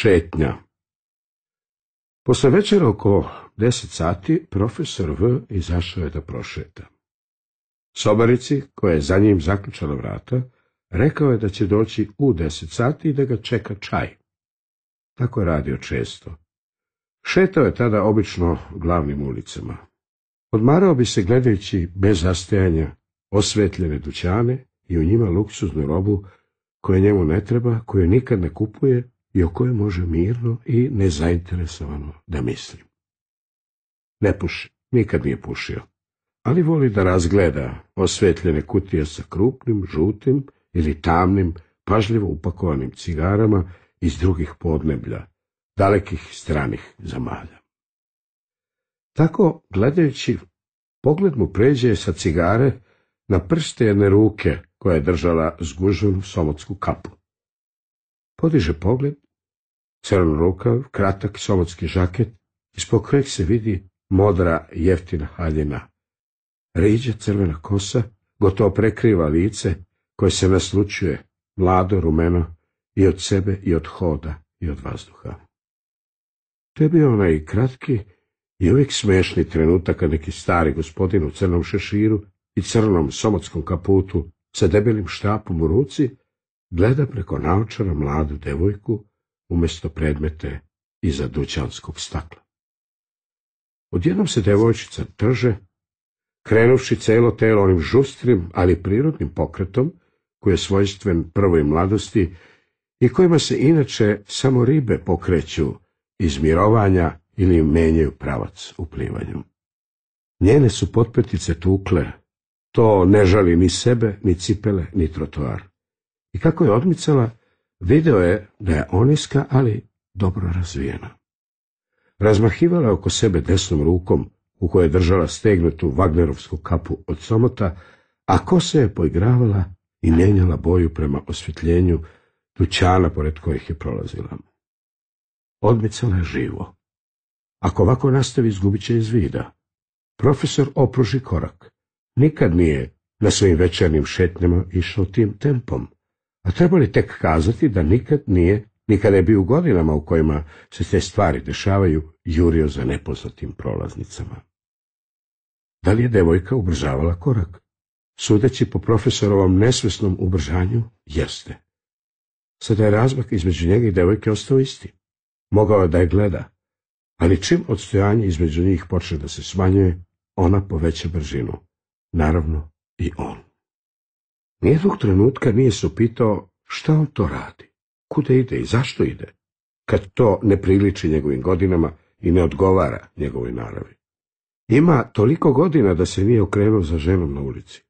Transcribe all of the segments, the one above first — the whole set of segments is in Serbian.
Šetnja. Posle večera oko 10 sati profesor V izašao je da prošeta. Sobarici, koja je za njim zaključala vrata, rekao je da će doći u 10 sati i da ga čeka čaj. Tako je radio često. Šetao je tada obično glavnim ulicama. Odmarao bi se gledajući bez zastajanja osvetljene dućane i u njima luksuznu robu koja njemu ne treba, koju nikad ne kupuje i o kojoj može mirno i nezainteresovano da misli. Ne puši, nikad nije pušio, ali voli da razgleda osvetljene kutije sa krupnim, žutim ili tamnim, pažljivo upakovanim cigarama iz drugih podneblja, dalekih stranih zemalja. Tako, gledajući, pogled mu pređe sa cigare na prste jedne ruke koja je držala zguženu somotsku kapu. Podiže pogled, crn rukav, kratak somotski žaket, ispod kojeg se vidi modra jeftina haljina. Riđa crvena kosa gotovo prekriva lice koje se naslučuje, mlado, rumeno, i od sebe, i od hoda, i od vazduha. To je bio onaj kratki i uvijek smešni trenutak kad neki stari gospodin u crnom šeširu i crnom somotskom kaputu sa debelim štapom u ruci gleda preko naočara mladu devojku umjesto predmete iza dućanskog stakla. Odjednom se devojčica trže, krenuvši celo telo onim žustrim, ali prirodnim pokretom koji je svojstven prvoj mladosti i kojima se inače samo ribe pokreću iz mirovanja ili menjaju pravac u plivanju. Njene su potpetice tukle, to ne žali ni sebe, ni cipele, ni trotoar. I kako je odmicala, video je da je oniska, ali dobro razvijena. Razmahivala je oko sebe desnom rukom, u kojoj je držala stegnutu Wagnerovsku kapu od somota, a kosa je poigravala i mijenjala boju prema osvjetljenju dućana pored kojih je prolazila. Odmicala je živo. Ako ovako nastavi, izgubit će iz vida. Profesor opruži korak. Nikad nije na svojim večernjim šetnjama išao tim tempom, a treba li tek kazati da nikad je bio u godinama u kojima se te stvari dešavaju, jurio za nepoznatim prolaznicama. Da li je devojka ubrzavala korak? Sudeći po profesorovom nesvesnom ubrzanju, jeste. Sada je razmak između njega i devojke ostao isti. Mogao je da je gleda, ali čim odstojanje između njih počne da se smanjuje, ona poveća brzinu. Naravno i on. Nijednog trenutka nije se upitao šta on to radi, kuda ide i zašto ide, kad to ne priliči njegovim godinama i ne odgovara njegovoj naravi. Ima toliko godina da se nije okrenuo za ženom na ulici.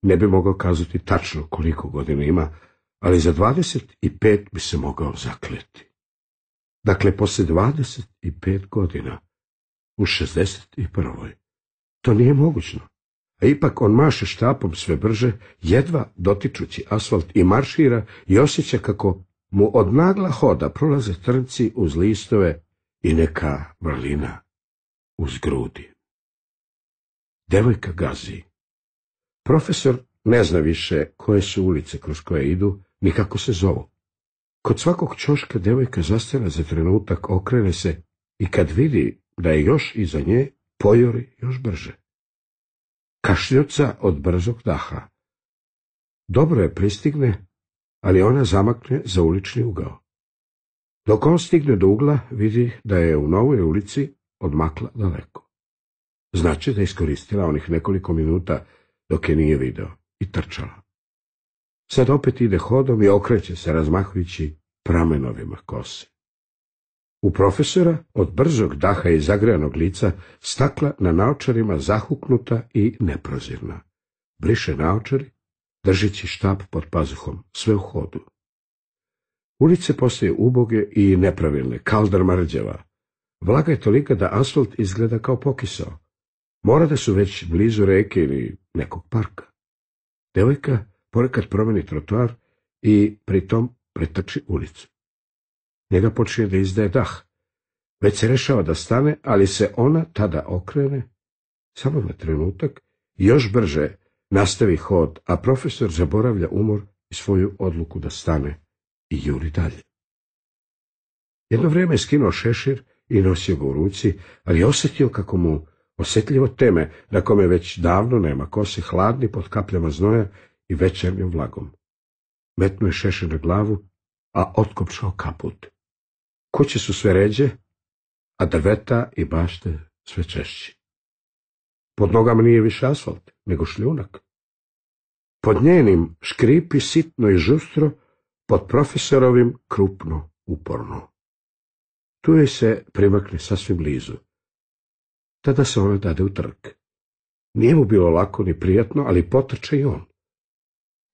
Ne bi mogao kazati tačno koliko godina ima, ali za 25 bi se mogao zakleti. Dakle, poslije 25 godina, u 61. To nije mogućno. A ipak on maše štapom sve brže, jedva dotičući asfalt i maršira i osjeća kako mu od nagla hoda prolaze trnci uz listove i neka vrlina uz grudi. Devojka gazi. Profesor ne zna više koje su ulice kroz koje idu, ni kako se zovu. Kod svakog ćoška devojka zastane za trenutak, okrene se i kad vidi da je još iza nje, pojori još brže. Kašljuca od brzog daha. Dobro je pristigne, ali ona zamakne za ulični ugao. Dok on stigne do ugla, vidi da je u novoj ulici odmakla daleko. Znači da je iskoristila onih nekoliko minuta dok je nije video i trčala. Sad opet ide hodom i okreće se razmahujući pramenovima kose. U profesora od brzog daha i zagrejanog lica stakla na naočarima zahuknuta i neprozirna. Briše naočari, držeći štap pod pazuhom, sve u hodu. Ulice postaju uboge i nepravilne, kaldrma rđava. Vlaga je tolika da asfalt izgleda kao pokisao. Mora da su već blizu reke ili nekog parka. Devojka ponekad promeni trotoar i pritom pretrči ulicu. Njega počinje da izdaje dah. Već se rešava da stane, ali se ona tada okrene, samo na trenutak, i još brže nastavi hod, a profesor zaboravlja umor i svoju odluku da stane i juri dalje. Jedno vrijeme je skinuo šešir i nosio ga u ruci, ali je osjetio kako mu osjetljivo teme, na kome već davno nema kose, hladni pod kapljama znoja i večernjom vlagom. Metnuo je šešir na glavu, a otkopčao kaput. Kuće su sve ređe, a drveta i bašte sve češći. Pod nogama nije više asfalt, nego šljunak. Pod njenim škripi sitno i žustro, pod profesorovim krupno, uporno. Tu joj se primakne sasvim blizu. Tada se ona dade u trk. Nije mu bilo lako ni prijatno, ali potrče i on.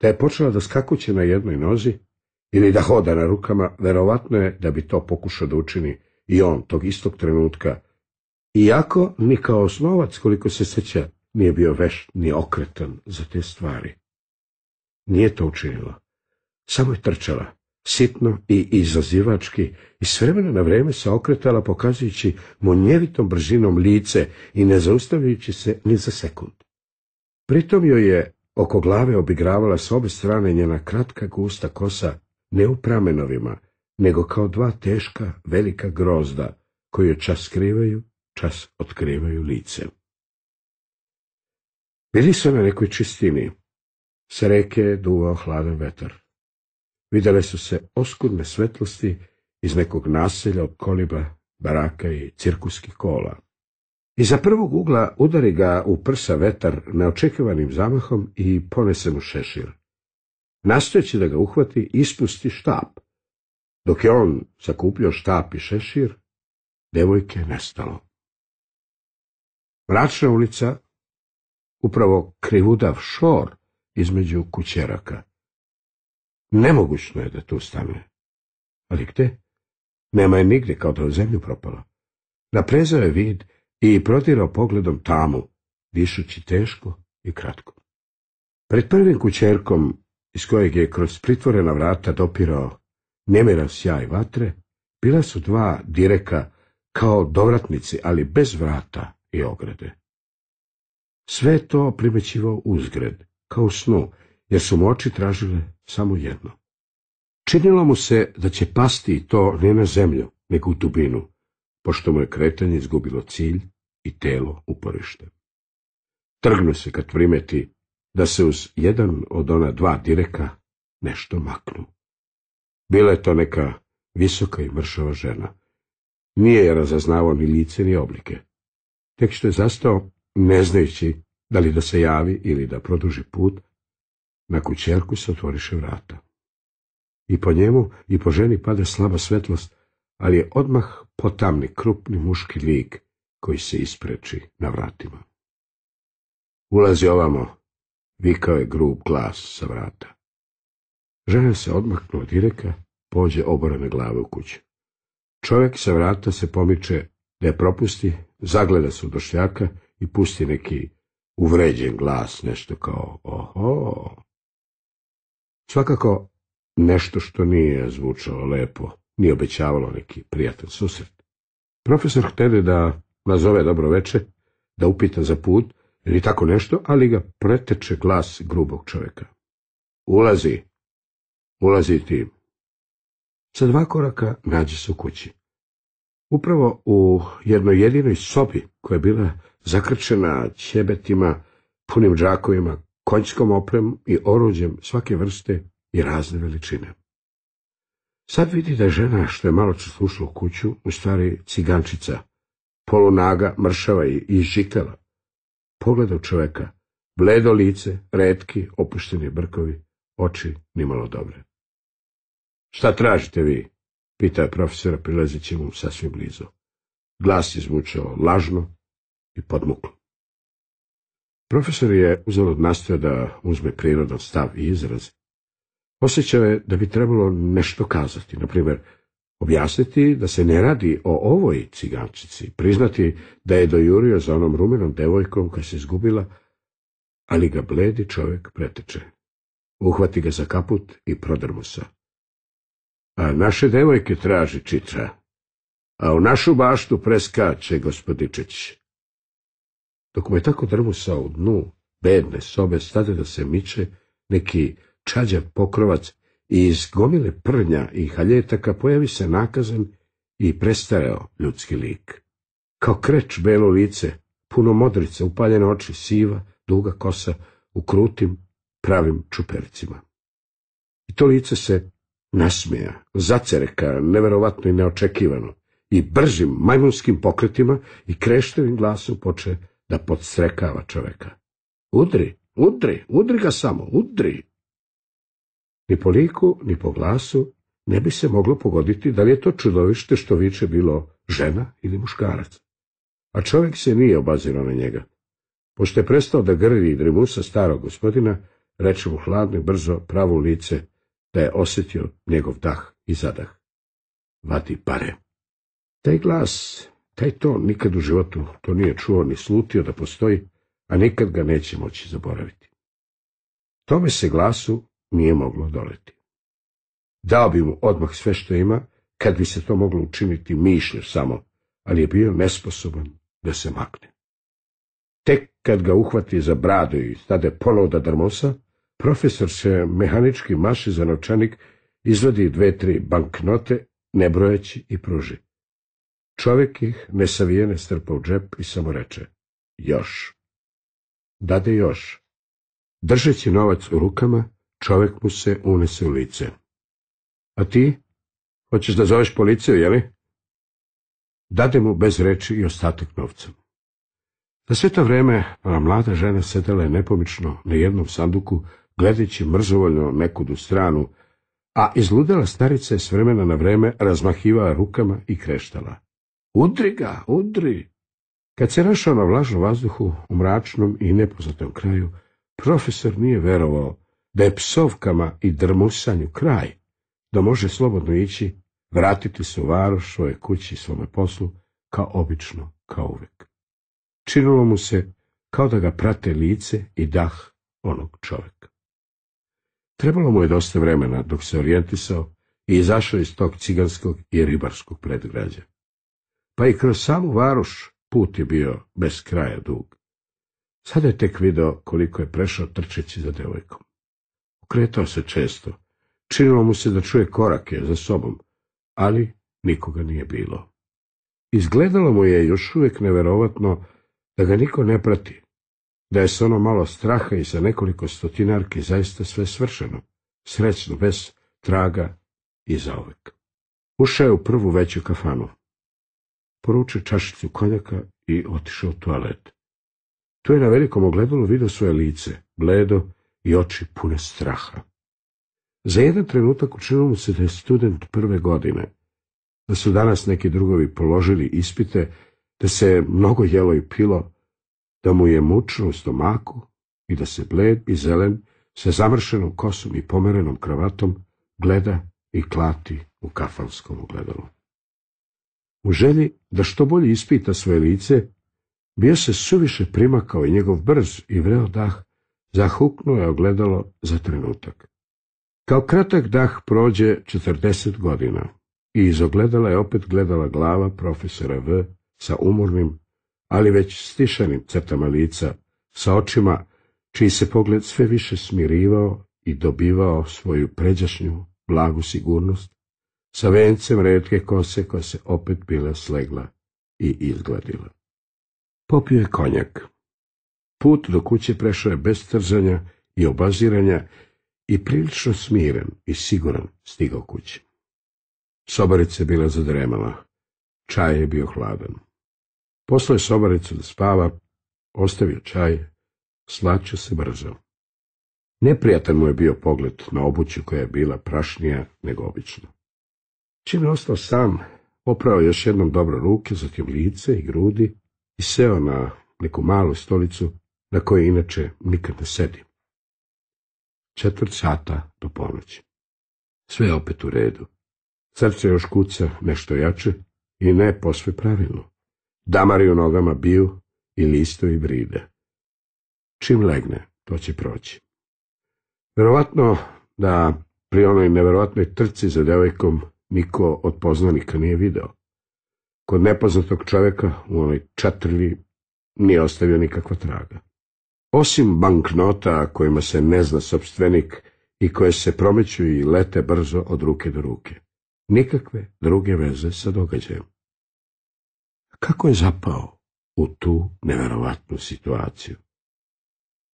Da je počela da skakuće na jednoj nozi ili da hoda na rukama, verovatno je da bi to pokušao da učini i on tog istog trenutka, iako ni kao osnovac, koliko se sjeća, nije bio vešt ni okretan za te stvari. Nije to učinila. Samo je trčala, sitno i izazivački, i s vremena na vreme se okretala, pokazujući munjevitom brzinom lice i ne zaustavljajući se ni za sekund. Pritom joj je oko glave obigravala s obe strane njena kratka gusta kosa, ne u pramenovima, nego kao dva teška velika grozda, koji joj čas skrivaju, čas otkrivaju lice. Bili su na nekoj čistini. Sa reke je duvao hladan vetar. Vidjele su se oskudne svetlosti iz nekog naselja od koliba, baraka i cirkuskih kola. Iza prvog ugla udari ga u prsa vetar neočekivanim zamahom i ponese mu šešir. Nastojeći da ga uhvati, ispusti štap. Dok je on sakupljao štap i šešir, devojke je nestalo. Mračna ulica, upravo krivudav šor između kućeraka. Nemogućno je da tu stane. Ali gde? Nema je nigdje, kao da je u zemlju propala. Naprezao je vid i prodirao pogledom tamu, dišući teško i kratko. Pred prvim kućerkom, iz kojeg je kroz pritvorena vrata dopirao nemiran sjaj vatre, bila su dva direka kao dovratnici, ali bez vrata i ograde. Sve je to primećivao uzgred, kao u snu, jer su mu oči tražile samo jedno. Činilo mu se da će pasti i to ne na zemlju, nego u dubinu, pošto mu je kretanje izgubilo cilj i telo uporište. Trgnu se kad primeti da se uz jedan od ona dva direka nešto maknu. Bila je to neka visoka i mršava žena. Nije je razaznavao ni lice ni oblike. Tek što je zastao, ne znajući da li da se javi ili da produži put, na kućerku se otvoriše vrata. I po njemu i po ženi pada slaba svetlost, ali je odmah potamni krupni muški lik koji se ispreči na vratima. Ulazi ovamo, vikao je grub glas sa vrata. Žena se odmaknula od direka, pođe oborane glave u kuću. Čovjek sa vrata se pomiče da je propusti, zagleda se u došljaka i pusti neki uvređen glas, nešto kao oho. Svakako nešto što nije zvučalo lepo, nije obećavalo neki prijatan susret. Profesor htede da nazove dobro veče, da upita za put ili tako nešto, ali ga preteče glas grubog čovjeka. Ulazi ti. Sa 2 koraka nađe se u kući. Upravo u jednoj jedinoj sobi, koja je bila zakrčena ćebetima, punim džakovima, konjskom opremom i oruđem svake vrste i razne veličine. Sad vidi da je žena, što je malo čas ušla u kuću, u stvari cigančica, polunaga, mršava i izžikala. Pogleda u čoveka, bledo lice, retki, opušteni brkovi, oči nimalo dobre. Šta tražite vi? Pita je profesora prilazeći mu sasvim blizu. Glas je zvučao lažno i podmuklo. Profesor je uzalud nastojao da uzme prirodan stav i izraz. Osjećao je da bi trebalo nešto kazati, na primjer, objasniti da se ne radi o ovoj cigančici, priznati da je dojurio za onom rumenom devojkom koja se izgubila, ali ga bledi čovjek preteče. Uhvati ga za kaput i prodrmusa. A naše devojke traži čitra, a u našu baštu preskače gospodičić. Dok mu je tako drmusao u dnu bedne sobe, stade da se miče neki čađav pokrovac i iz gomile prnja i haljetaka pojavi se nakazan i prestareo ljudski lik. Kao kreč belo lice, puno modrice, upaljene oči, siva, duga kosa, u krutim, pravim čupericima. I to lice se nasmeja, zacereka, neverovatno i neočekivano, i bržim majmunskim pokretima i kreštevim glasom poče da podstrekava čoveka. Udri, udri, udri ga samo, udri. Ni po liku, ni po glasu ne bi se moglo pogoditi da li je to čudovište što viče bilo žena ili muškarac. A čovjek se nije obazirao na njega. Pošto je prestao da grli i drimusa starog gospodina, reče mu hladno i brzo pravo u lice da je osjetio njegov dah i zadah. Vadi pare. Taj glas, taj ton nikad u životu to nije čuo ni slutio da postoji, a nikad ga neće moći zaboraviti. Tome se glasu nije moglo doleti. Dao bi mu odmah sve što ima, kad bi se to moglo učiniti mišlju samo, ali je bio nesposoban da se makne. Tek kad ga uhvati za bradu i stade ponovo da drmosa, profesor se mehanički maši za novčanik, izvadi 2-3 banknote, ne brojeći i pruži. Čovjek ih nesavijene strpa u džep i samo reče, još. Dade još. Držeći novac u rukama, čovjek mu se unese u lice. A ti? Hoćeš da zoveš policiju, jeli? Dade mu bez reči i ostatak novca. Za sve to vreme ona mlada žena sedela je nepomično na jednom sanduku, gledajući mrzovoljno nekudu stranu, a izludela starica je s vremena na vreme razmahivala rukama i kreštala. Udri ga, udri! Kad se našao na vlažnom vazduhu, u mračnom i nepoznatom kraju, profesor nije verovao da je psovkama i drmusanju kraj, da može slobodno ići, vratiti se u varoš, svoje kući i svome poslu, kao obično, kao uvek. Činilo mu se kao da ga prate lice i dah onog čovjeka. Trebalo mu je dosta vremena dok se orijentisao i izašao iz tog ciganskog i ribarskog predgrađa. Pa i kroz samu varoš put je bio bez kraja dug. Sada je tek video koliko je prešao trčeći za devojkom. Okretao se često. Činilo mu se da čuje korake za sobom, ali nikoga nije bilo. Izgledalo mu je još uvijek neverovatno da ga niko ne prati, da je s ono malo straha i sa nekoliko stotinarki zaista sve svršeno, srećno, bez traga i zauvek. Ušao je u prvu veću kafanu. Poručio čašicu konjaka i otišao u toalet. Tu je na velikom ogledalu vidio svoje lice, bledo i oči pune straha. Za jedan trenutak učinilo mu se da je student prve godine, da su danas neki drugovi položili ispite, da se mnogo jelo i pilo, da mu je mučno u stomaku i da se bled i zelen sa zamršenom kosom i pomerenom kravatom gleda i klati u kafanskom ogledalu. U želji da što bolje ispita svoje lice, bio se suviše primakao i njegov brz i vreo dah zahuknuo je ogledalo za trenutak. Kao kratak dah prođe 40 godina i iz ogledala je opet gledala glava profesora V sa umornim, ali već stišanim crtama lica, sa očima čiji se pogled sve više smirivao i dobivao svoju pređašnju blagu sigurnost, sa vencem retke kose koja se opet bila slegla i izgladila. Popio je konjak. Put do kuće prešao je bez trzanja i obaziranja i prilično smiren i siguran stigao kući. Sobarica je bila zadremala. Čaj je bio hladan. Poslao je sobaricu da spava, ostavio čaj, slačio se brzo. Neprijatan mu je bio pogled na obuću koja je bila prašnija nego obično. Čim je ostao sam, oprao još jednom dobro ruke, zatim lice i grudi i seo na neku malu stolicu na kojoj inače nikad ne sedi. 4 sata do ponoći. Sve je opet u redu. Srce još kuca nešto jače i ne posve pravilno. Damari u nogama biju i listovi bride. Čim legne, to će proći. Verovatno da pri onoj neverovatnoj trci za devojkom niko od poznanika nije video. Kod nepoznatog čovjeka u onoj čatrlji nije ostavio nikakva traga. Osim banknota kojima se ne zna sopstvenik i koje se promeću i lete brzo od ruke do ruke. nikakve druge veze sa događajem. Kako je zapao u tu neverovatnu situaciju?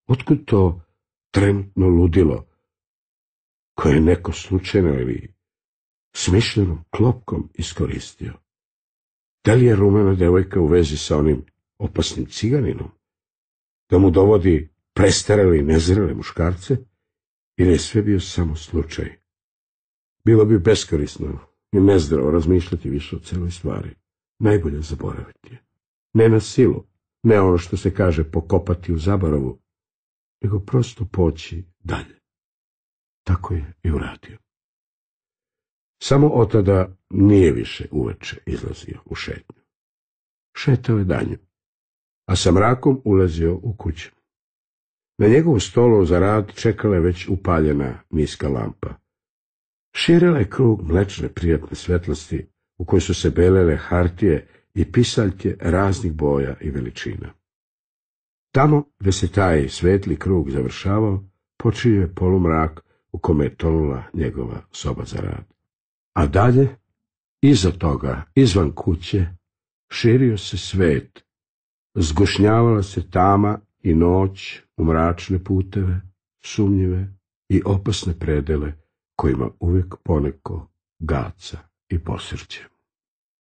Otkud to trenutno ludilo koje je neko slučajno ili smišljenom klopkom iskoristio? Da li je rumena devojka u vezi sa onim opasnim ciganinom? Da mu dovodi prestarele i nezrele muškarce? Ili je sve bio samo slučaj? Bilo bi beskorisno i nezdravo razmišljati više o celoj stvari. Najbolje zaboraviti je. Ne na silu, ne ono što se kaže pokopati u zaboravu, nego prosto poći dalje. Tako je i uradio. Samo od tada nije više uveče izlazio u šetnju. Šetao je danju, a sa mrakom ulazio u kuću. Na njegovu stolu za rad čekala je već upaljena niska lampa. Širila je krug mlečne prijatne svetlosti u kojoj su se belele hartije i pisaljke raznih boja i veličina. Tamo, gde se taj svetli krug završavao, počinio je polumrak u kome je tonula njegova soba za rad. A dalje, iza toga, izvan kuće, širio se svet, zgušnjavala se tama i noć u mračne puteve, sumnjive i opasne predele kojima uvijek poneko gaca i posrće.